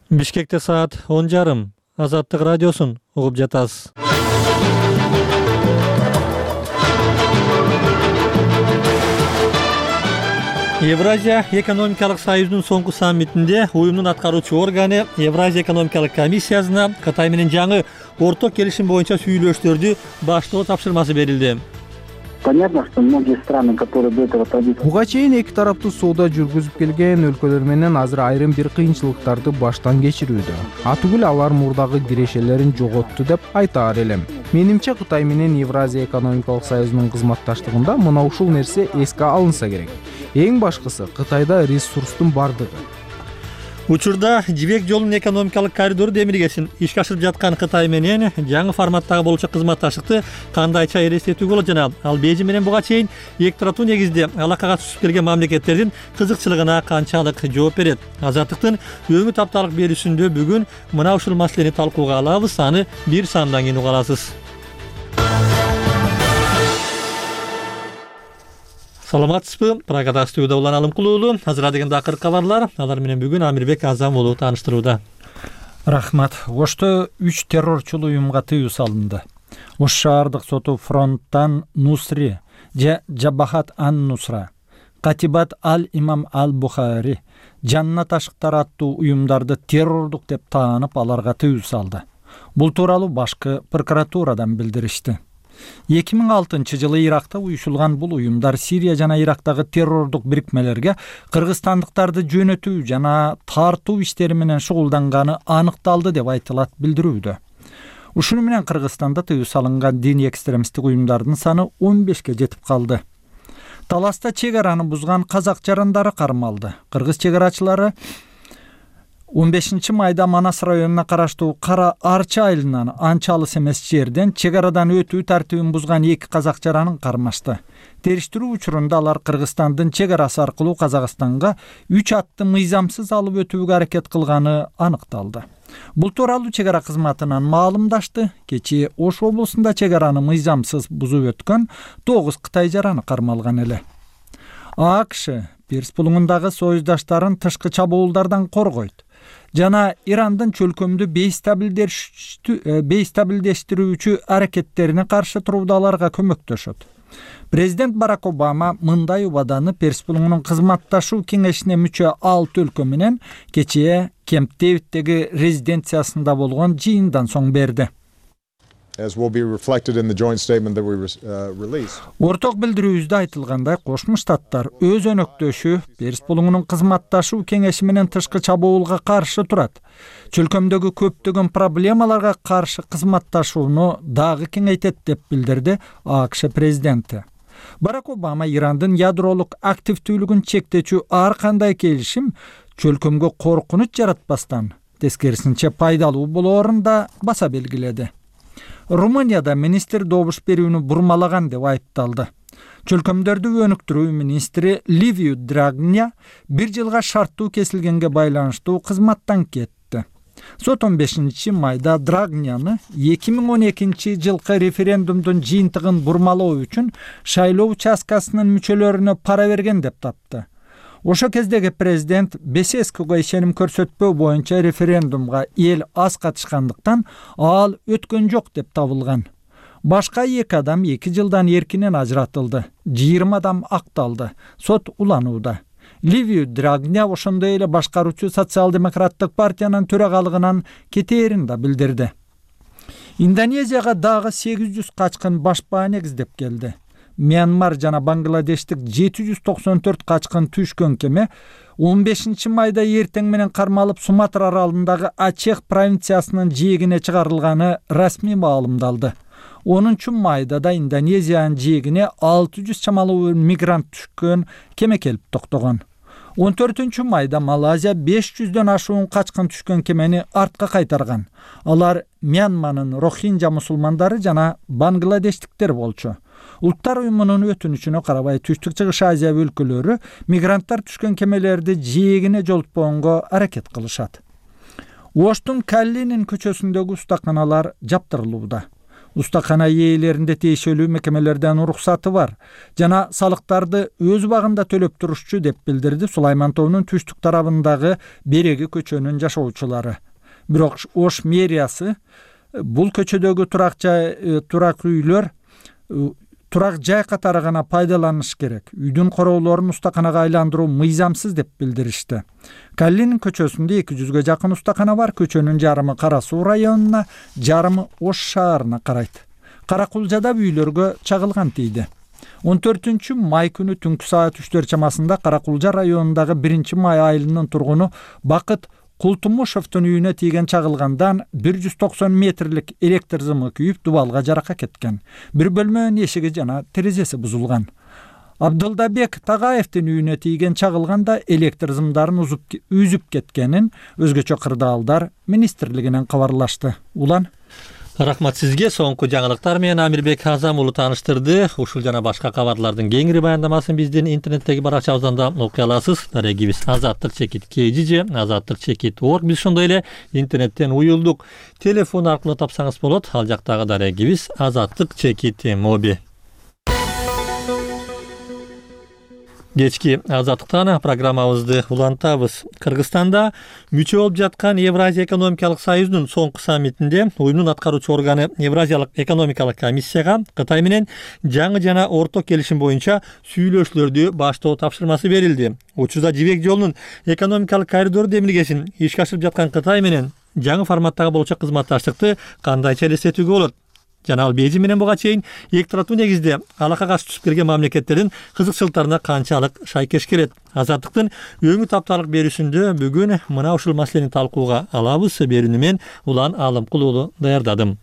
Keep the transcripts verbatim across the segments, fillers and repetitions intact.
Бишкекте саат он жарым. Азаттык радиосун угуп жатасыз. Евразия экономикалык союзунун соңку саммитинде уюмдун аткаруучу органы Евразия экономикалык комиссиясына Кытай менен жаңы орток келишим боюнча сүйлөштөрдү баштоо тапшырмасы берилди. Понятно, что многие страны, которые до этого традиции... Буга чейин эки тараптуу соода жүргүзүп келген өлкөлөр менен азыр айрым бир кыйынчылыктарды баштан кечирүүдө. Атүгүл алар мурдагы кирешелерин жоготту деп айтаар элем. Менимче Кытай менен Евразия экономикалык союзунун кызматташтыгында мына ушул нерсе эске алынса керек. Эң башкысы Кытайда ресурстун бардыгы. Учурда жибек жолунун экономикалык коридору демилгесин ишке ашырып жаткан Кытай менен жаңы форматтагы болчу кызматташтыкты кандайча элестетүүгө болот жана ал Бейжиң менен буга чейин эки тараптуу негизде алакага түшүп келген мамлекеттердин кызыкчылыгына канчалык жооп берет. Азаттыктын өңү тапталык берүүсүндө бүгүн мына ушул маселени талкууга алабыз. Аны бир сандан кийин уга аласыз. Саламатсызбы? Прагада студияда улан Алымкул уулу. Азыр деген акыркы кабарлар. Алар менен бүгүн Амирбек Азам уулу тааныштырууда. Рахмат. Ошто үч террорчул уюмга тыюу салынды. Ош шаардык соту фронттан Нусри же Жабахат ан-Нусра, Катибат ал-Имам ал-Бухари, Жаннат ашыктары аттуу уюмдарды террордук деп таанып, аларга тыюу салды. Бул тууралуу башкы прокуратурадан билдиришти. эки миң алтынчы жылы Иракта уюшулган бул уюмдар Сирия жана Ирактагы террордук бирикмелерге кыргызстандыктарды жөнөтүү жана тартуу иштери менен шугулданганы аныкталды деп айтылат билдирүүдө. Ушуну менен Кыргызстанда тыюу салынган диний экстремисттик уюмдардын саны он бешке жетип калды. Таласта чек араны бузган казак жарандары кармалды. Кыргыз чек арачылары он бешинчи майда Манас районуна караштуу Кара Арча айылынан анча алыс эмес жерден чек арадан өтүү тартибин бузган эки казак жаранын кармашты. Териштирүү учурунда алар Кыргызстандын чек арасы аркылуу Казакстанга үч атты мыйзамсыз алып өтүүгө аракет кылганы аныкталды. Бул тууралуу чек ара кызматынан маалымдашты. Кечээ Ош облусунда чек араны мыйзамсыз бузуп өткөн тогуз Кытай жараны кармалган эле. АКШ Перс булуңундагы союздаштарын тышкы чабуулдардан коргойт жана Ирандын чөлкөмдү бейстабилдештирүүчү аракеттерине каршы турууда аларга көмөктөшөт. Президент Барак Обама мындай убаданы Перс булуңунун кызматташуу кеңешине мүчө алты өлкө менен кечээ Кемп Дэвиддеги резиденциясында болгон жыйындан соң берди. As will be reflected in the joint statement that we uh, released. Орток билдирүүбүздө айтылгандай, Кошмо Штаттар өз өнөктөшү Перс булуңунун кызматташуу кеңеши менен тышкы чабуулга каршы турат. Чөлкөмдөгү көптөгөн проблемаларга каршы кызматташууну дагы кеңейтет деп билдирди АКШ президенти. Барак Обама Ирандын ядролук активдүүлүгүн чектечүү ар кандай келишим чөлкөмгө коркунуч жаратпастан, тескерисинче пайдалуу болоорун да баса белгиледи. Румынияда министр добуш берүүнү бурмалаган деп айыпталды. Чөлкөмдөрдү өнүктүрүү министри Ливиу Драгня бир жылга шарттуу кесилгенге байланыштуу кызматтан кетти. Сот он бешинчи майда Драгняны эки миң он экинчи жылкы референдумдун жыйынтыгын бурмалоо үчүн шайлоо участкасынын мүчөлөрүнө пара берген деп тапты. Ошо кездеги президент Бесеского ишеним көрсөтпөө боюнча референдумга эл аз катышкандыктан ал өткөн жок деп табылган. Башка эки адам эки жылдан эркинен ажыратылды. жыйырма адам акталды. Сот уланууда. Ливиу Драгня ошондой эле башкаруучу социал-демократтык партиянын төрагалыгынан кетээрин да билдирди. Индонезияга дагы сегиз жүз качкын башпаа негиздеп келди. Мьянмар жана Бангладештик жети жүз токсон төрт качкын түшкөн кеме он бешинчи майда эртең менен кармалып Суматра аралындагы Ачех провинциясынын жээгине чыгарылганы расмий маалымдалды. онунчу майда да Индонезиянын жээгине алты жүз чамалуу мигрант түшкөн кеме келип токтогон. он төртүнчү майда Малайзия беш жүздөн ашуун качкын түшкөн кемени артка кайтарган. Алар Мьянманын Рохинджа мусулмандары жана бангладештиктер болчу. Улуттар уюмунун өтүнүчүнө карабай Түштүк Чыгыш Азия өлкөлөрү мигранттар түшкөн кемелерди жээгине жолтпогонго аракет кылышат. Оштун Каллинин көчөсүндөгү устаканалар жаптырылууда. Устакана ээлеринде тиешелүү мекемелерден уруксаты бар жана салыктарды өз убагында төлөп турушчу деп билдирди Сулайман тоонун түштүк тарабындагы Береги көчөнүн жашоочулары. Бирок Ош мэриясы бул көчөдөгү турак жай турак үйлөр турак жай катары гана пайдаланыш керек. Үйдүн короолорун устаканага айландыруу мыйзамсыз деп билдиришти. Каллинин көчөсүндө эки жүзгө жакын устакана бар. Көчөнүн жарымы Кара Суу районуна, жарымы Ош шаарына карайт. Каракулжада үйлөргө чагылган тийди. он төртүнчү май күнү түнкү саат үчтөр чамасында Каракулжа районундагы биринчи май айылынын тургуну Бакыт Култумушевдун үйүнө тийген чагылгандан бир жүз токсон метрлик электр зымы күйүп дубалга жаракат кеткен. Бир бөлмөнүн эшиги жана терезеси бузулган. Абдылдабек Тагаевдин үйүнө тийген чагылганда электр зымдарын үзүп кеткенин өзгөчө кырдаалдар министрлигинен кабарлашты. Улан Рахмат сизге. Соңку жаңылыктар менен Амирбек Азам уулу тааныштырды. Ушул жана башка кабарлардын кеңири баяндамасын биздин интернеттеги баракчабыздан да окуй аласыз. Дарегибиз азаттык чекит kg же азаттык чекит точка орг. Биз ошондой эле интернеттен уюлдук. Телефон аркылуу тапсаңыз болот. Ал жактагы дарегибиз азаттык чекит моби. Кечки азаттыктан программабызды улантабыз. Кыргызстанда мүчө болуп жаткан Евразия экономикалык союзунун соңку саммитинде уюмдун аткаруучу органы Евразиялык экономикалык комиссияга Кытай менен жаңы жана орток келишим боюнча сүйлөшүүлөрдү баштоо тапшырмасы берилди. Учурда жибек жолунун экономикалык коридору демилгесин ишке ашырып жаткан Кытай менен жаңы форматтагы болчок кызматташтыкты кандайча элестетүүгө болот? Жана ал Бейжиң менен буга чейин эки тараптуу негизде алакага түшүп келген мамлекеттердин кызыкчылыктарына канчалык шайкеш келет? Азаттыктын өңү тапталык берүүсүндө бүгүн мына ушул маселени талкууга алабыз. Берүүнү мен Улан Алымкул уулу даярдадым.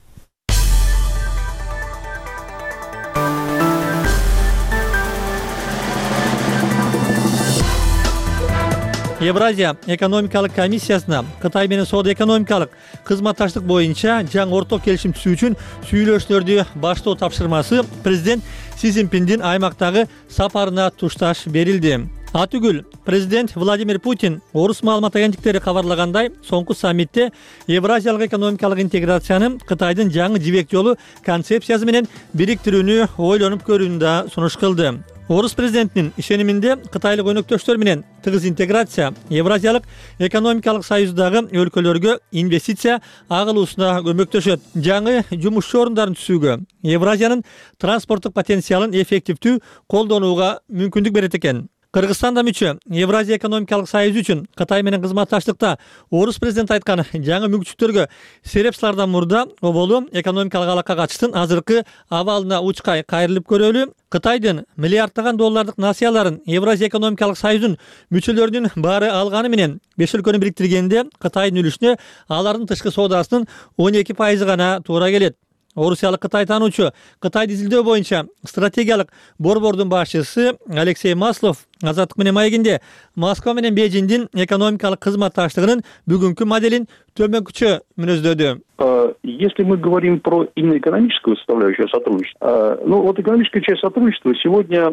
Евразия экономикалык комиссиясына Кытай менен соода экономикалык кызматташтык боюнча жаңы орток келишим түзүү үчүн сүйлөшүүлөрдү баштоо тапшырмасы президент Си Цзиньпиндин аймактагы сапарына тушташ берилди. Атүгүл президент Владимир Путин орус маалымат агенттиктери кабарлагандай, соңку саммитте Евразиялык экономикалык интеграцияны Кытайдын жаңы жибек жолу концепциясы менен бириктирүүнү ойлонуп көрүүнү да сунуш кылды. Орус президентинин ишениминде Кытайлык өнөктөштөр менен тыгыз интеграция Евразиялык экономикалык союздагы өлкөлөргө инвестиция агылуусуна көмөктөшөт. Жаңы жумушчу орундарын түзүүгө, Евразиянын транспорттук потенциалын эффективдүү колдонууга мүмкүндүк берет экен. Кыргызстан да мүчө Евразия экономикалык союзу үчүн Кытай менен кызматташтыкта орус президент айткан жаңы мүмкүнчүлүктөргө сереп салардан мурда оболу экономикалык алака качыштын азыркы абалына учкай кайрылып көрөлү. Кытайдын миллиарддаган доллардык насыяларын Евразия экономикалык союзунун мүчөлөрүнүн баары алганы менен беш өлкөнү бириктиргенде Кытайдын үлүшүнө алардын тышкы соодасынын он эки пайызы гана туура келет. Орусиялык Кытай таануучу Кытайды изилдөө боюнча стратегиялык борбордун башчысы Алексей Маслов Азаттык менен маегинде Москва менен Бейжиңдин экономикалык кызматташтыгынын бүгүнкү моделин төмөнкүчө мүнөздөдү. Если мы говорим про именно экономическую составляющую сотрудничества, ну вот экономическая часть сотрудничества сегодня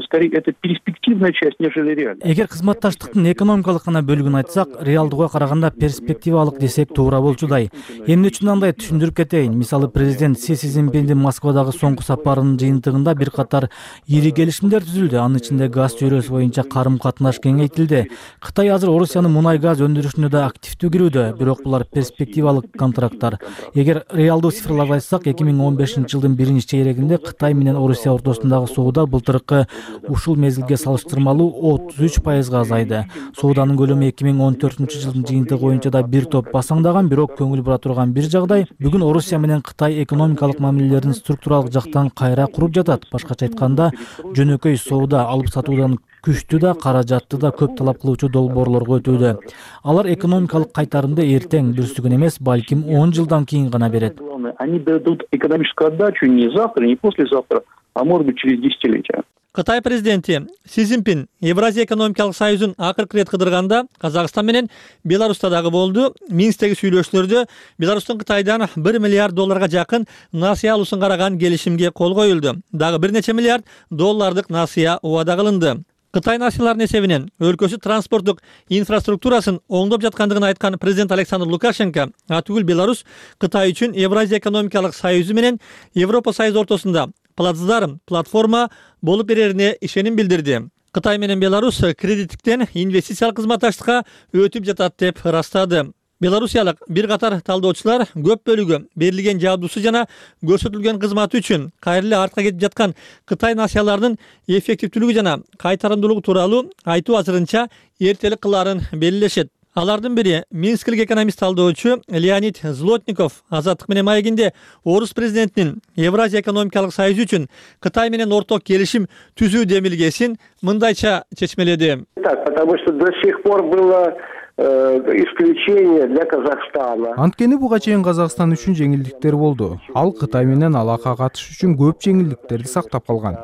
скорее это перспективная часть, нежели реальная. Эгер кызматташтыктын экономикалык гана бөлүгүн айтсак, реалдууга караганда перспективалык десек туура болчудай. Эмне үчүн андай түшүндүрүп кетейин. Мисалы президент Си Цзиньпиндин Москвадагы соңку сапарынын жыйынтыгында бир катар ири келишимдер түзүлдү. Анын ичинде газ чөйрөсү боюнча карым катнаш кеңейтилди. Кытай азыр Орусиянын мунай газ өндүрүшүнө да активдүү кирүүдө, бирок булар перспективалык контракттар. Эгер реалдуу цифрларды айтсак, эки миң он бешинчи жылдын биринчи чейрегинде Кытай менен Орусия ортосундагы соода былтыркы ушул мезгилге салыштырмалуу отуз үч пайызга азайды. Сооданын көлөмү эки миң он төртүнчү жылдын жыйынтыгы боюнча да бир топ басаңдаган, бирок көңүл бура турган бир жагдай, бүгүн Орусия менен Кытай экономикалык мамилелерин структуралык жактан кайра куруп жатат. Башкача айтканда, жөнөкөй соода алып сатуудан күчтүү да, каражатты да көп талап кылуучу долбоорлорго өтүүдө. Алар экономикалык кайтарымды эртең бүрсүгүн эмес, балким он жылдан кийин гана берет. Они дадут экономическую отдачу не завтра, не послезавтра, а может быть через десятилетия. Кытай президенти Си Цзиньпин Евразия экономикалык союзун акыркы ирет кыдырганда Казакстан менен Беларуста дагы болду. Минсктеги сүйлөшүүлөрдө Беларустун Кытайдан бир миллиард долларга жакын насыя алуусун караган келишимге кол коюлду. Дагы бир нече миллиард доллардык насыя убада кылынды. Кытай нацияларынын эсебинен өлкөсү транспорттук инфраструктурасын оңдоп жаткандыгын айткан президент Александр Лукашенко атүгүл Беларусь Кытай үчүн Евразия экономикалык союзу менен Европа союзу ортосунда плацдарм, платформа болуп берерине ишеним билдирди. Кытай менен Беларусь кредиттиктен инвестициялык кызматташтыкка өтүп жатат деп ырастады. Белорусиялык бир катар талдоочулар көп бөлүгү берилген жабдуусу жана көрсөтүлгөн кызматы үчүн кайра эле артка кетип жаткан Кытай нацияларынын эффективдүүлүгү жана кайтарымдуулугу тууралуу айтуу азырынча эртелик кылаарын белгилешет. Алардын бири минскилик экономист талдоочу Леонид Злотников Азаттык менен маегинде орус президентинин Евразия экономикалык союзу үчүн Кытай менен орток келишим түзүү демилгесин мындайча чечмеледи. Так, потому что до сих пор было исключение для Казахстана. Анткени буга чейин Казакстан үчүн жеңилдиктер болду. Ал Кытай менен алака катышыш үчүн көп жеңилдиктерди сактап калган.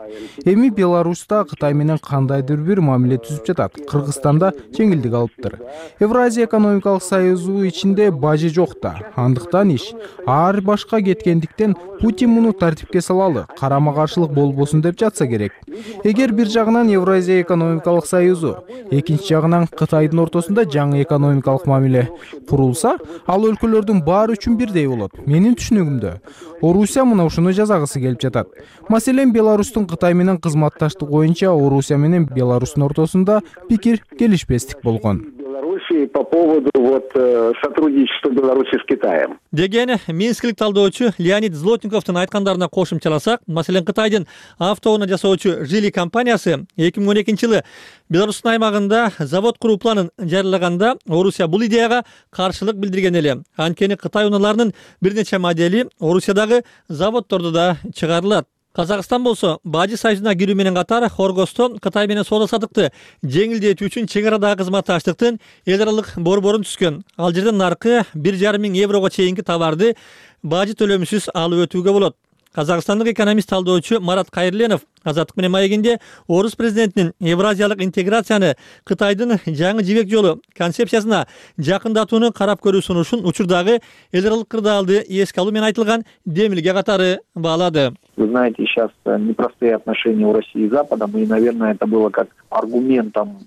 Эми Беларусьта Кытай менен кандайдыр бир мамиле түзүп жатат. Кыргызстанда жеңилдик алыптыр. Евразия экономикалык союзу ичинде бажы жок да. Андыктан иш ар башка кеткендиктен Путин муну тартипке салалы, карама каршылык болбосун деп жатса керек. Эгер бир жагынан Евразия экономикалык союзу, экинчи жагынан Кытайдын ортосунда жаңы экономикалык мамиле курулса, ал өлкөлөрдүн баары үчүн бирдей болот. Менин түшүнүгүмдө Орусия мына ушуну жазагысы келип жатат. Маселен, Беларустун Кытай менен кызматташтык боюнча Орусия менен Беларустун ортосунда пикир келишпестик болгон. По поводу вот сотрудничества Беларуси с Китаем. Деген минскилик талдоочу Леонид Злотниковдун айткандарына кошумчаласак, маселен Кытайдын автоунаа жасоочу Жили компаниясы эки миң он экинчи жылы Беларустун аймагында завод куруу планын жарыялаганда Орусия бул идеяга каршылык билдирген эле. Анткени Кытай унааларынын бир нече модели Орусиядагы заводдордо да чыгарылат. Казакстан болсо бажы союзуна кирүү менен катар Хоргостон Кытай менен соода саттыкты жеңилдетүү үчүн чек арадагы кызматташтыктын эл аралык борборун түзгөн. Ал жерден наркы бир жарым миң еврого чейинки товарды бажы төлөмсүз алып өтүүгө болот. Казакстандык экономист талдоочу Марат Кайырленов Азаттык менен маегинде орус президентинин евразиялык интеграцияны Кытайдын жаңы жибек жолу концепциясына жакындатууну карап көрүү сунушун учурдагы эл аралык кырдаалды эске алуу менен айтылган демилге катары баалады. Вы знаете, сейчас непростые отношения у России и Западом, и, наверное, это было как аргументом.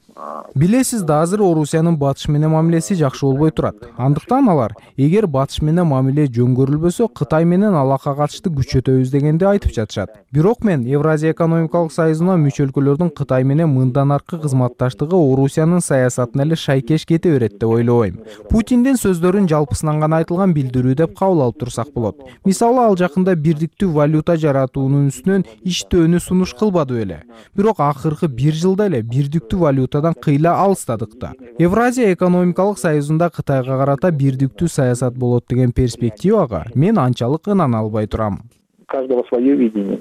Билесиз да, азыр Орусиянын батыш менен мамилеси жакшы болбой турат. Андыктан алар, эгер батыш менен мамиле жөн көрүлбөсө, Кытай менен алака катышты күчөтөбүз дегенди айтып жатышат. Бирок мен Евразия экономикалык союзуна мүчө өлкөлөрдүн Кытай менен мындан аркы кызматташтыгы Орусиянын саясатына эле шайкеш кете берет деп ойлобойм. Путиндин сөздөрүн жалпысынан гана айтылган билдирүү деп кабыл алып турсак болот. Мисалы, ал жакында бирдиктүү валюта жаратуунун үстүнөн иштөөнү сунуш кылбады эле. Бирок акыркы бир жылда эле бирдиктүү валютадан кыйла алыстадык да. Евразия экономикалык союзунда Кытайга карата бирдиктүү саясат болот деген перспективага мен анчалык ынана албай турам. Каждого свое видение.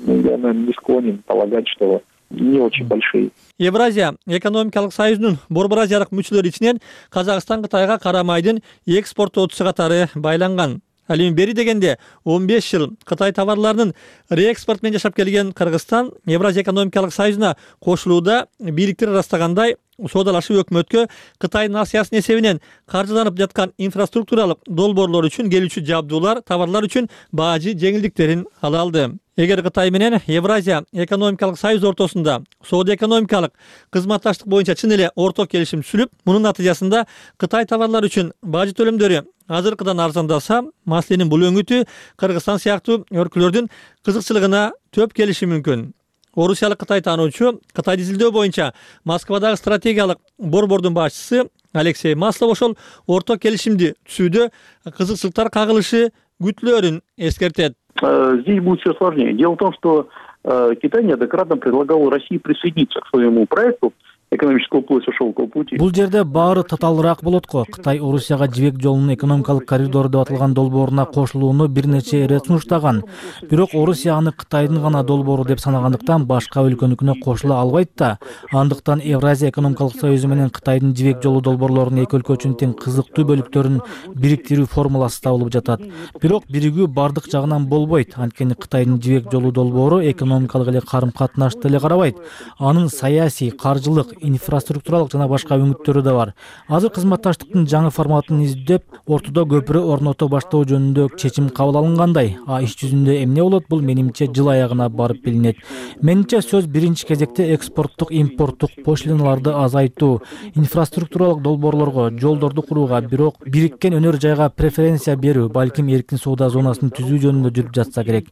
Я, наверное, не склонен полагать, что не очень большие. Евразия экономикалык союзунун борбор азиялык мүчөлөрү ичинен Казакстан Кытайга кара майдын экспорттоочусу катары байланган. Ал эми бери дегенде он беш жыл Кытай товарларынын реэкспорт менен жашап келген Кыргызстан Евразия экономикалык союзуна кошулууда бийликтер ырастагандай соодалашып өкмөткө Кытай нациясынын эсебинен каржыланып жаткан инфраструктуралык долбоорлор үчүн келүүчү жабдуулар, товарлар үчүн бажы жеңилдиктерин ала алды. Эгер Кытай менен Евразия экономикалык союз ортосунда соода экономикалык кызматташтык боюнча чын эле орток келишим түзүлүп, мунун натыйжасында Кытай товарлары үчүн бажы төлөмдөрү азыркыдан арзандаса, маселенин бул өңүтү Кыргызстан сыяктуу өлкөлөрдүн кызыкчылыгына төп келиши мүмкүн. Орусиялык Кытай таануучу Кытайды изилдөө боюнча Москвадагы стратегиялык борбордун башчысы Алексей Маслов ошол орток келишимди түзүүдө кызыкчылыктар кагылышы күтүлөрүн эскертет. Здесь будет все сложнее. Дело в том, что Китай неоднократно предлагал России присоединиться к своему проекту экономического пояса шелкового пути. Бул жерде баары татаалыраак болот го. Кытай Орусияга жибек жолунун экономикалык коридору деп аталган долбооруна кошулууну бир нече ирет сунуштаган. Бирок Орусия аны Кытайдын гана долбоору деп санагандыктан башка өлкөнүкүнө кошула албайт да. Андыктан Евразия экономикалык союзу менен Кытайдын жибек жолу долбоорлорунун эки өлкө үчүн тең кызыктуу бөлүктөрүн бириктирүү формуласы табылып жатат. Бирок биригүү бардык жагынан болбойт. Анткени Кытайдын жибек жолу долбоору экономикалык эле карым-катнашты эле карабайт. Анын саясий, каржылык, инфраструктуралык жана башка үмүттөрү да бар. Азыр кызматташтыктын жаңы форматын издеп, ортодо көпүрө орното баштоо жөнүндө чечим кабыл алынгандай. А иш жүзүндө эмне болот, бул менимче жыл аягына барып билинет. Менимче сөз биринчи кезекте экспорттук, импорттук пошлиналарды азайтуу, инфраструктуралык долбоорлорго, жолдорду курууга, бирок бириккен өнөр жайга преференция берүү, балким эркин соода зонасын түзүү жөнүндө жүрүп жатса керек.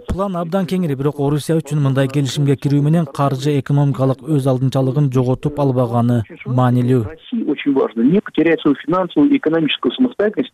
План абдан кеңири, бирок Орусия үчүн мындай келишимге кирүү менен каржы экономикалык өз алдынчалыгын жоготуп албаганы маанилүү. России очень важно не потерять свою финансовую и экономическую самостоятельность,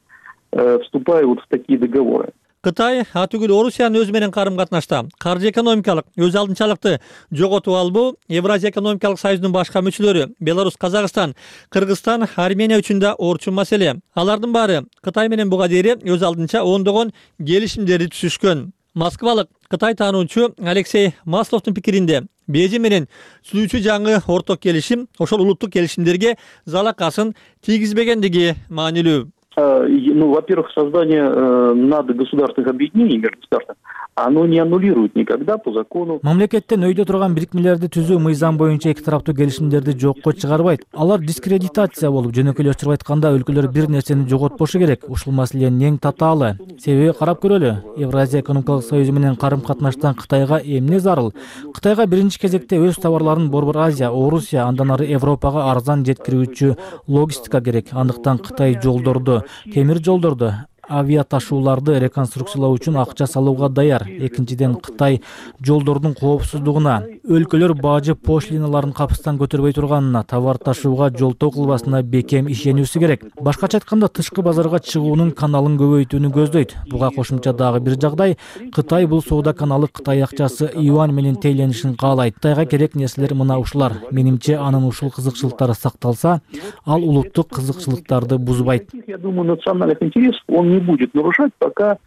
вступая вот в такие договоры. Кытай атүгүл Орусиянын өзү менен карым катнашта каржы экономикалык өз алдынчалыкты жоготуп албоо Евразия экономикалык союзунун башка мүчөлөрү Беларусь, Казакстан, Кыргызстан, Армения үчүн да орчун маселе. Алардын баары Кытай менен буга дейин өз алдынча ондогон келишимдерди түзүшкөн. Москвалык Кытай таануучу Алексей Масловдун пикиринде Бейжиң менен түзүүчү жаңы орток келишим ошол улуттук келишимдерге залакасын тийгизбегендиги маанилүү. Ну, во-первых, создание э, надгосударственных объединений между государствами, оно не аннулирует никогда по закону. Мамлекеттен өйдө турган бирикмелерди түзүү мыйзам боюнча эки тараптуу келишимдерди жокко чыгарбайт. Алар дискредитация болуп, жөнөкөй өчүрүп айтканда өлкөлөр бир нерсени жоготпошу керек. Ушул маселенин эң татаалы. Себеби карап көрөлү. Евразия экономикалык союзу менен карым катнаштан Кытайга эмне зарыл? Кытайга биринчи кезекте өз товарларын Борбор Азия, Орусия, андан ары Европага арзан жеткирүүчү логистика керек. Андыктан Кытай жолдорду, темир жолдорду, авиа ташууларды реконструкциялоо үчүн акча салууга даяр. Экинчиден, Кытай жолдордун коопсуздугуна, өлкөлөр бажы пошлиналарын капыстан көтөрбөй турганына, товар ташууга жолтоо кылбасына бекем ишенүүсү керек. Башкача айтканда, тышкы базарга чыгуунун каналын көбөйтүүнү көздөйт. Буга кошумча дагы бир жагдай, Кытай бул соода каналы Кытай акчасы юань менен тейленишин каалайт. Кытайга керек нерселер мына ушулар. Менимче, анын ушул кызыкчылыктары сакталса, ал улуттук кызыкчылыктарды бузбайт. Я думаю, национальных интересов он не будет нарушать, пока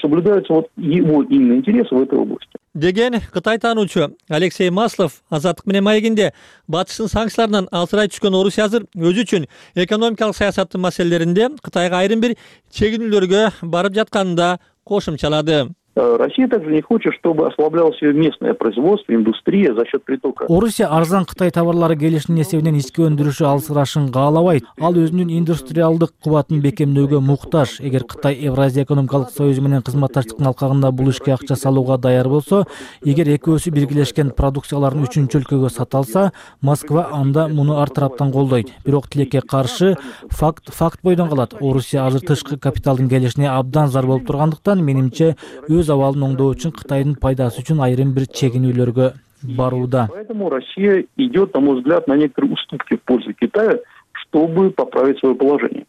соблюдаются вот его именно интересы в этой области. Деген Кытай таануучу Алексей Маслов Азаттык менен маегинде батыштын санкцияларынан алсырай түшкөн Орусия азыр өзү үчүн экономикалык саясаттын маселелеринде Кытайга айрым бир чегинүүлөргө барып жатканын да кошумчалады. Россия также не хочет, чтобы ослаблялось местное производство, индустрия за счет притока. Орусия арзан Кытай товарлары келишинин эсебинен ички өндүрүшү алсырашын каалабайт. Ал өзүнүн индустриалдык кубатын бекемдөөгө муктаж. Эгер Кытай Евразия экономикалык союзу менен кызматташтыктын алкагында бул ишке акча салууга даяр болсо, эгер экөөсү биргелешкен продукцияларын үчүнчү өлкөгө сата алса, Москва анда муну ар тараптан колдойт. Бирок тилекке каршы факт факт бойдон калат. Орусия азыр тышкы капиталдын келишине абдан зар болуп тургандыктан, менимче өз абалын оңдоо үчүн Кытайдын пайдасы үчүн айрым бир чегинүүлөргө барууда. Поэтому Россия идет, на мой взгляд, на некоторые уступки в пользу Китая, чтобы поправить свое положение.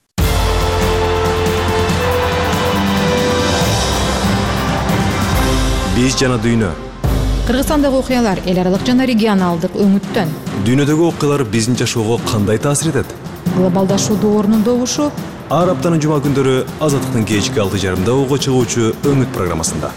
Биз жана дүйнө. Кыргызстандагы окуялар эл аралык жана регионалдык өңүттөн. Дүйнөдөгү окуялар биздин жашоого кандай таасир этет? Глобалдашуудун орнундогушу. Ар аптанын жума күндөрү Азаттыктын кечки алты жарымда ого чыгуучу Өңүт программасында.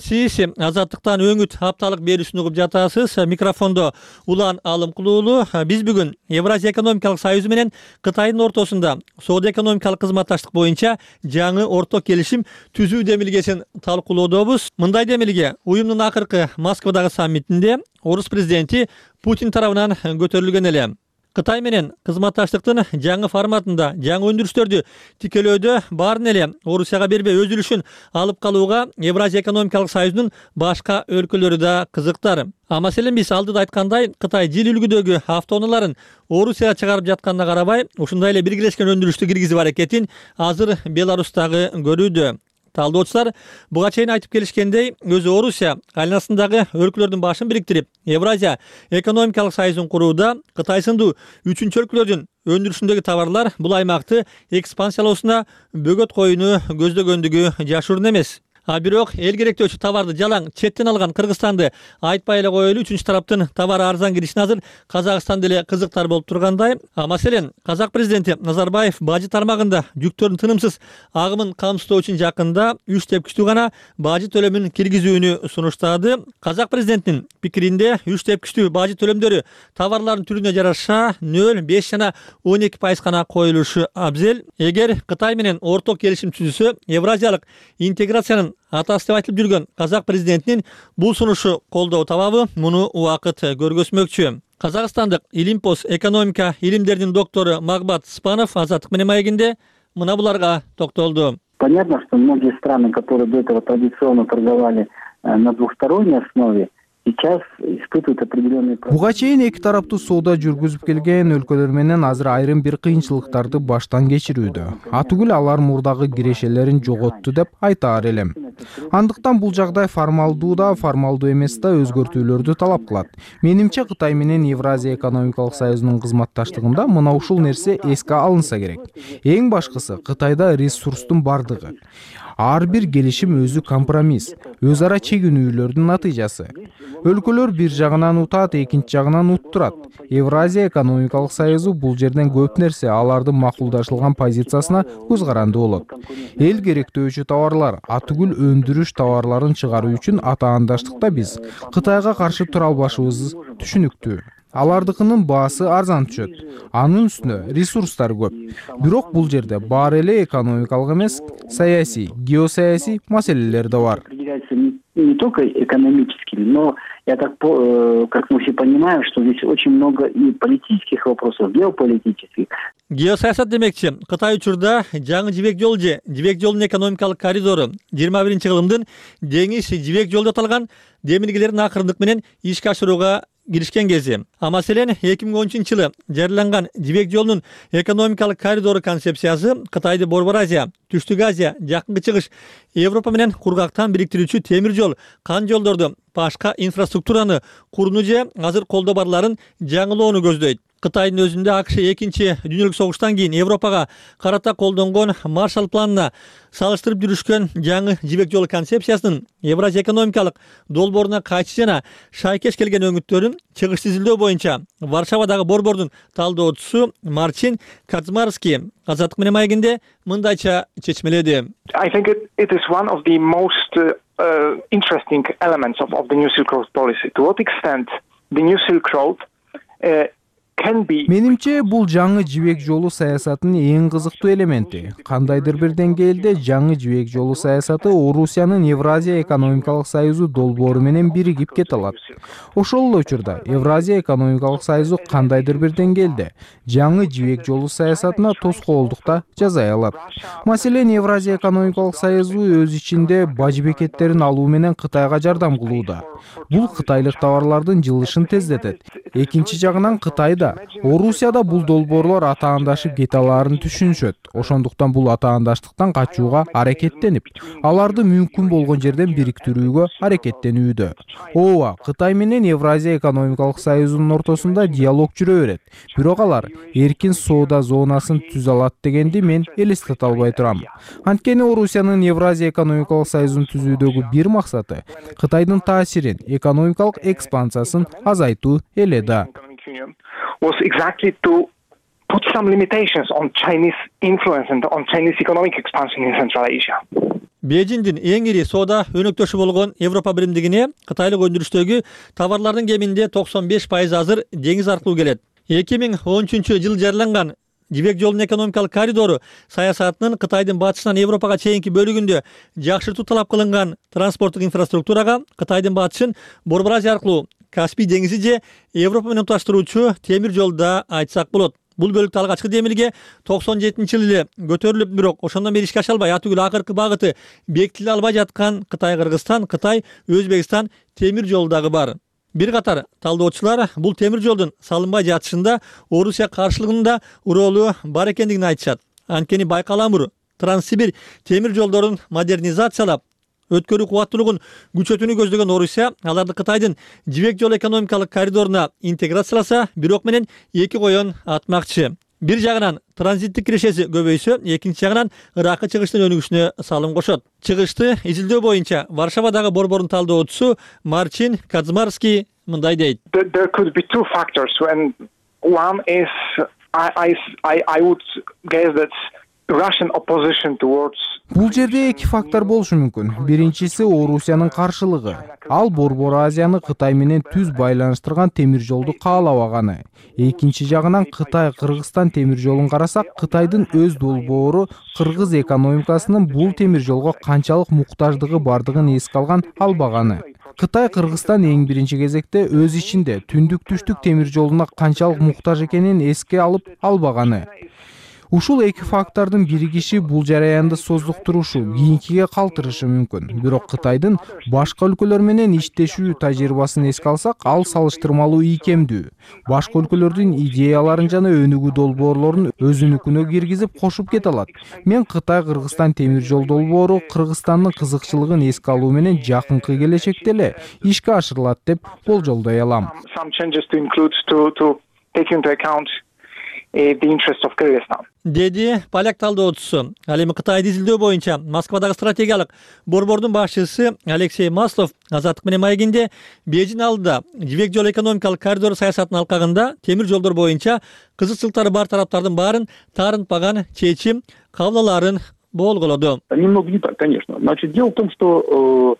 Сиз Азаттыктан Өңүт апталык берүүсүн угуп жатасыз. Микрофондо Улан Алымкулуулу. Биз бүгүн Евразия экономикалык союзу менен Кытайдын ортосунда соода экономикалык кызматташтык боюнча жаңы орток келишим түзүү демилгесин талкуулоодобуз. Мындай демилге уюмдун акыркы Москвадагы саммитинде Орус президенти Путин тарабынан көтөрүлгөн эле. Кытай менен кызматташтыктын жаңы форматында жаңы өндүрүштөрдү тикелөөдө баарын эле Орусияга бербей өз үлүшүн алып калууга Евразия экономикалык союзунун башка өлкөлөрү да кызыктар. А маселен биз алдыда айткандай, Кытай жил үлгүдөгү автоунааларын Орусияга чыгарып жатканына карабай, ушундай эле биргелешкен өндүрүштү киргизип аракетин азыр Беларустагы көрүүдө. Талдоочулар буга чейин айтып келишкендей, өзү Орусия айланасындагы өлкөлөрдүн башын бириктирип, Евразия экономикалык союзун курууда Кытай сындуу үчүнчү өлкөлөрдүн өндүрүшүндөгү товарлар бул аймакты экспансиялоосуна бөгөт коюуну көздөгөндүгү жашыруун эмес. А бирок эл керектөөчү товарды жалаң четтен алган Кыргызстанды айтпай эле коелу, үчүнчү тараптын товар арзан киришине азыр Казакстан деле кызыктар болуп тургандай. Маселен, Казак президенти Назарбаев бажы тармагында жүктөрдүн тынымсыз агымын камсыздоо үчүн жакында үч тепкичтүү гана бажы төлөмүн киргизүүнү сунуштады. Казак президентинин пикиринде үч тепкичтүү бажы төлөмдөрү товарлардын түрүнө жараша нөл беш жана он эки пайыз гана коюлушу абзел. Эгер Кытай менен орток келишим түзүлсө, Евразиялык интеграциянын атасы деп айтылып жүргөн Казак президентинин бул сунушу колдоо табабы, муну убакыт көргөзмөкчү. Казакстандык Илимпос экономика илимдеринин доктору Магбат Спанов Азаттык менен маегинде мына буларга токтолду. Понятно, что многие страны, которые до этого традиционно торговали на двухсторонней основе, сейчас испытывают определенные проблемы. Буга чейин эки тараптуу соода жүргүзүп келген өлкөлөр менен азыр айрым бир кыйынчылыктарды баштан кечирүүдө. Атүгүл алар мурдагы кирешелерин жоготту деп айтаар элем. Андыктан бул жагдай формалдуу да, формалдуу эмес да өзгөртүүлөрдү талап кылат. Менимче Кытай менен Евразия экономикалык союзунун кызматташтыгында мына ушул нерсе эске алынса керек. Эң башкысы Кытайда ресурстун бардыгы. Ар бир келишим өзү компромисс, өз ара чегинүүлөрдүн натыйжасы. Өлкөлөр бир жагынан утат, экинчи жагынан уттурат. Евразия экономикалык союзу бул жерден көп нерсе алардын макулдашылган позициясына көз каранды болот. Эл керектөөчү товарлар, атүгүл өндүрүш товарларын чыгаруу үчүн атаандаштыкта биз Кытайга каршы тура албашыбыз түшүнүктүү. Алардыкынын баасы арзан түшөт. Анын үстүнө ресурстар көп. Бирок бул жерде баары эле экономикалык эмес, саясий, геосаясий маселелер да бар. Не только экономическими, но я так, как мы все понимаем, что здесь очень много и политических вопросов, геополитических. Геосаясат демекчи, Кытай учурда жаңы жибек жол же жибек жолунун экономикалык коридору жыйырма биринчи кылымдын деңиз жибек жолу деп аталган демилгелерин акырындык менен ишке ашырууга киришкен кези. А маселен эки миң он үчүнчү жылы жарыяланган жибек жолунун экономикалык коридору концепциясы Кытайды Борбор Азия, Түштүк Азия, Жакынкы Чыгыш, Европа менен кургактан бириктирүүчү темир жол, кан жолдорду, башка инфраструктураны курууну же азыр колдо барларын жаңылоону көздөйт. Кытайдын өзүндө АКШ экинчи дүйнөлүк согуштан кийин Европага карата колдонгон Маршалл планына салыштырып жүрүшкөн жаңы жибек жолу концепциясынын Евразия экономикалык долбооруна кайчы жана шайкеш келген өңүттөрүн чыгыш түзүлдөө боюнча Варшавадагы борбордун талдоочусу Марчин Кацмарский Азаттык менен маегинде мындайча чечмеледи. I think it, it is one of the most uh, uh, interesting elements of, of the New Silk Road policy. To what extent the New Silk Road uh, Менимче бул жаңы жибек жолу саясатынын эң кызыктуу элементи. Кандайдыр бир деңгээлде жаңы жибек жолу саясаты Орусиянын Евразия экономикалык союзу долбоору менен биригип кете алат. Ошол эле учурда Евразия экономикалык союзу кандайдыр бир деңгээлде жаңы жибек жолу саясатына тоскоолдук да жасай алат. Маселен, Евразия экономикалык союзу өз ичинде бажы бекеттерин алуу менен Кытайга жардам кылууда. Бул кытайлык товарлардын жылышын тездетет. Экинчи жагынан Кытайда Орусияда бул долбоорлор атаандашып кете алаарын түшүнүшөт. Ошондуктан бул атаандаштыктан качууга аракеттенип, аларды мүмкүн болгон жерден бириктирүүгө аракеттенүүдө. Ооба, Кытай менен Евразия экономикалык союзунун ортосунда диалог жүрө берет. Бирок алар эркин соода зонасын түзө алат дегенди мен элестете албай турам. Анткени Орусиянын Евразия экономикалык союзун түзүүдөгү бир максаты Кытайдын таасирин, экономикалык экспансиясын азайтуу эле да. Was exactly to put some limitations on Chinese influence and on Chinese economic expansion in Central Asia. Бейжиңдин эң ири соода өнөктөшү болгон Европа биримдигине кытайлык өндүрүштөгү товарлардын кеминде токсон беш пайыз азыр деңиз аркылуу келет. эки миң он үчүнчү жылы жарыяланган жибек жолунун экономикалык коридору саясатынын Кытайдын батышынан Европага чейинки бөлүгүндө жакшыртуу талап кылынган транспорттук инфраструктурага Кытайдын батышын Борбор Азия аркылуу Каспий деңизи же Европа менен туташтыруучу темир жолда айтсак болот. Бул бөлүктө алгачкы демилге токсон жетинчи жылы эле көтөрүлүп, бирок ошондон бери ишке аша албай, атүгүл акыркы багыты бекитиле албай жаткан Кытай-Кыргызстан, Кытай-Өзбекстан темир жолу дагы бар. Бир катар талдоочулар бул темир жолдун салынбай жатышында Орусия каршылыгынын да ролу бар экендигин айтышат. Анткени Байкаламур, Транссибир темир жолдорун модернизациялап, өткөрүү кубаттуулугун күчөтүүнү көздөгөн Орусия аларды Кытайдын жибек жолу экономикалык коридоруна интеграцияласа, бирок менен эки коен атмакчы. Бир жагынан транзиттик кирешеси көбөйсө, экинчи жагынан Иракка чыгыштын өнүгүшүнө салым кошот. Чыгышты изилдөө боюнча Варшавадагы борбордун талдоочусу Марчин Кацмарский мындай дейт. There could be two factors. When one is, I, I, I would guess that Russian opposition towards. Бул жерде эки фактор болушу мүмкүн. Биринчиси Орусиянын каршылыгы. Ал Борбор Азияны Кытай менен түз байланыштырган темир жолду каалабаганы. Экинчи жагынан Кытай Кыргызстан темир жолун карасак, Кытайдын өз долбоору кыргыз экономикасынын бул темир жолго канчалык муктаждыгы бардыгын эске алган албаганы. Кытай Кыргызстан эң биринчи кезекте өз ичинде түндүк түштүк темир жолуна канчалык муктаж экенин эске алып албаганы. Ушул эки фактордун биригиши бул жараянды создуктурушу, кийинкиге калтырышы мүмкүн. Бирок Кытайдын башка өлкөлөр менен иштешүү тажрыйбасын эске алсак, ал салыштырмалуу ийкемдүү. Башка өлкөлөрдүн идеяларын жана өнүгүү долбоорлорун өзүнүкүнө киргизип кошуп кете алат. Мен Кытай Кыргызстан темир жол долбоору Кыргызстандын кызыкчылыгын эске алуу менен жакынкы келечекте эле ишке ашырылат деп болжолдой алам. The interest of Kyrgyzstan. Деди поляк талдоочусу. Ал эми Кытайды изилдөө боюнча Москвадагы стратегиялык борбордун башчысы Алексей Маслов Азаттык менен маегинде Бейжин алдыда жибек жол экономикалык коридор саясатынын алкагында темир жолдор боюнча кызыкчылыктары бар тараптардын баарын таарынтпаган чечим кабыл алаарын болголоду. Немного не так, конечно. Значит, дело в том, что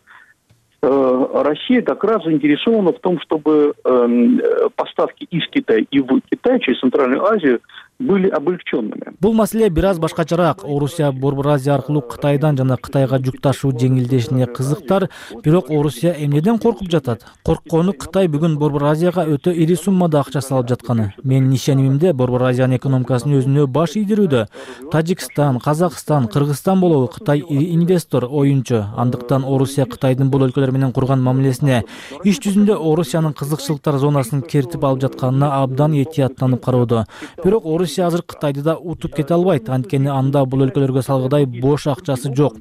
э, э, Россия как раз заинтересована в том, чтобы э, поставки из Китая и в Китай через Центральную Азию были облегченными. Бул маселе бир аз башкачараак. Орусия Борбор Азия аркылуу Кытайдан жана Кытайга жүк ташуу жеңилдешине кызыктар, бирок Орусия эмнеден коркуп жатат? Корккону Кытай бүгүн Борбор Азияга өтө ири суммада акча салып жатканы. Менин ишенимимде Борбор Азиянын экономикасын өзүнө баш ийдирүүдө. Тажикстан, Казакстан, Кыргызстан болобу Кытай ири инвестор, оюнчу. Андыктан Орусия Кытайдын бул өлкөлөр менен курган мамилесине иш жүзүндө Орусиянын кызыкчылыктар зонасын кертип алып жатканына абдан этияттанып кароодо. Бирок Орусия азыр Кытайды да утуп кете албайт, анткени анда бул өлкөлөргө салгыдай бош акчасы жок.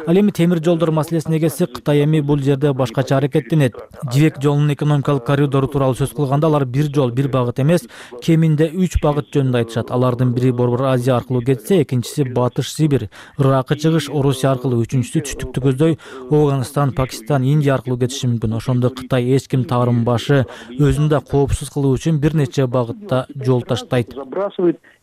Ал эми темир жолдор маселесине келсек, Кытай эми бул жерде башкача аракеттенет. Жибек жолунун экономикалык коридору тууралуу сөз кылганда, алар бир жол, бир багыт эмес, кеминде үч багыт жөнүндө айтышат. Алардын бири Борбор Азия аркылуу кетсе, экинчиси Батыш Сибирь, Иракка чыгыш Орусия аркылуу, үчүнчүсү түштүктү көздөй Афганистан, Пакистан, Индия аркылуу кетиши мүмкүн. Ошондо Кытай эч ким таарынбашы, өзүн да коопсуз кылуу үчүн бир нече багытта жол таштайт.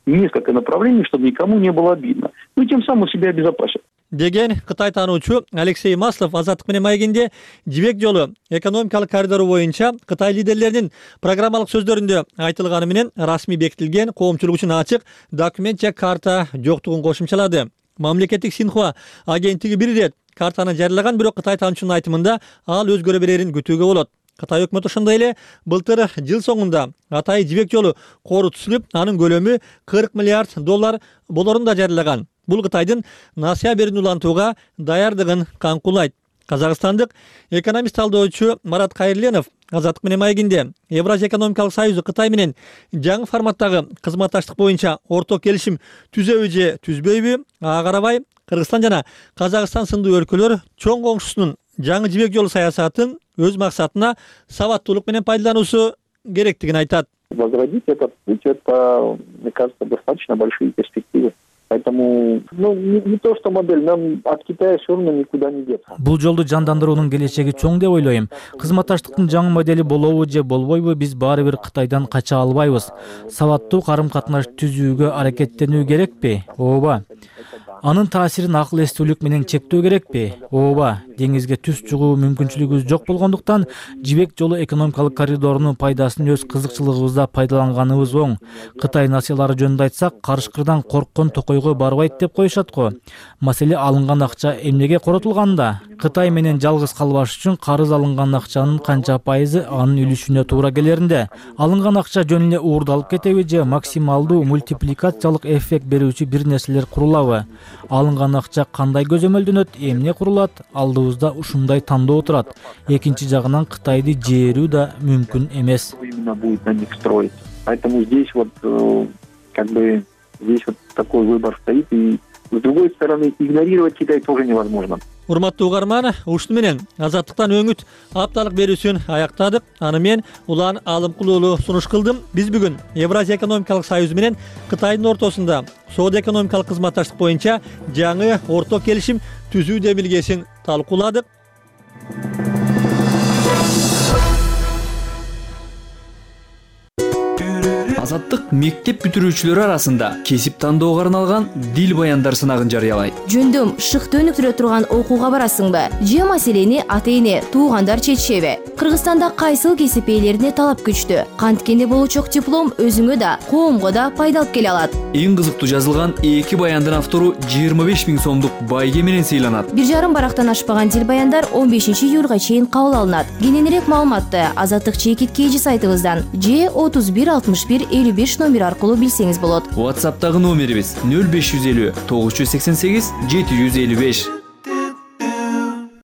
Несколько направлений, чтобы никому не было обидно. Ну, тем самым себя обезопасит. Деген Кытай таануучу Алексей Маслов Азаттык менен маегинде жибек жолу экономикалык коридору боюнча Кытай лидерлеринин программалык сөздөрүндө айтылганы менен расмий бекитилген, коомчулук үчүн ачык документ же карта жоктугун кошумчалады. Мамлекеттик Синхуа агенттиги бир ирет картаны жарыялаган, бирок Кытай таануучунун айтымында ал өзгөрө берерин күтүүгө болот. Кытай өкмөтү ошондой эле былтыр жыл соңунда Атайы жибек жолу кору түзүлүп, анын көлөмү кырк миллиард доллар болорун да жарыялаган. Бул Кытайдын насыя берүүнү улантууга даярдыгын каңкулайт. Казакстандык экономист талдоочу Марат Кайырленов Азаттык менен маегинде Евразия экономикалык союзу Кытай менен жаңы форматтагы кызматташтык боюнча орток келишим түзөбү же түзбөйбү, ага карабай Кыргызстан жана Казакстан сындуу өлкөлөр чоң коңшусунун жаңы жибек жолу саясатын өз максатына сабаттуулук менен пайдалануусу керектигин айтат. Возродить этот путь, это, мне кажется, достаточно большие перспективы. Поэтому, ну, не, не то, что модель, нам от Китая все равно никуда не деться. Бул жолду жандандыруунун келечеги чоң деп ойлойм. Кызматташтыктын жаңы модели болобу же болбойбу, биз баары бир Кытайдан кача албайбыз. Сабаттуу карым-катнаш түзүүгө аракеттенүү керекпи? Ооба. Анын таасирин акыл эстүүлүк менен чектөө керекпи? Ооба. Деңизге түз чыгуу мүмкүнчүлүгүбүз жок болгондуктан жибек жолу экономикалык коридорунун пайдасын өз кызыкчылыгыбызда пайдаланганыбыз оң. Кытай насыялары жөнүндө айтсак, карышкырдан корккон токойго барбайт деп коюшат го. Маселе алынган акча эмнеге коротулганда? Кытай менен жалгыз калбаш үчүн карыз алынган акчанын канча пайызы анын үлүшүнө туура келеринде? Алынган акча жөн эле уурдалып кетеби же максималдуу мультипликациялык эффект берүүчү бир нерселер курулабы? Алынган акча кандай көзөмөлдөнөт, эмне курулат? Алдыбызда ушундай тандоо турат. Экинчи жагынан Кытайды жээрүү да мүмкүн эмес. Именно будет на них строить. Поэтому здесь вот как бы здесь вот такой выбор стоит, и с другой стороны игнорировать Китай тоже невозможно. Урматтуу угарман, ушуну менен Азаттыктан өңүт апталык берүүсүн аяктадык. Аны мен Улан Алымкул уулу сунуш кылдым. Биз бүгүн Евразия экономикалык союзу менен Кытайдын ортосунда соода экономикалык кызматташтык боюнча жаңы орто келишим түзүү демилгесин талкууладык. Азаттык мектеп бүтүрүүчүлөрү арасында кесип тандоого арналган дил баяндар сынагын жарыялайт. Жөндөм шыкты өнүктүрө турган окууга барасыңбы? Же маселени ата-эне, туугандар чечишеби? Кыргызстанда кайсыл кесип ээлерине талап күчтүү? Канткенде болучок диплом өзүңө да, коомго да пайда алып келе алат. Эң кызыктуу жазылган эки баяндын автору жыйырма беш миң сомдук байге менен сыйланат. Бир жарым барактан ашпаган дил баяндар он бешинчи июлга чейин кабыл алынат. Кененирээк маалыматты Азаттык чекит кейжи сайтыбыздан же отуз бир алтымыш бир элүү беш номер аркылуу билсеңиз болот. WhatsApp'тагы номерибиз нөл беш жүз элүү тогуз жүз сексен сегиз жети жүз элүү беш.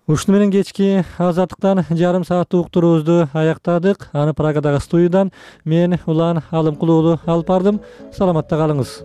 Ушуну менен кечки Азаттыктан жарым сааттык уктуруубузду аяктадык. Аны Прагадагы студиядан мен Улан Алымкул уулу алып бардым. Саламатта калыңыз.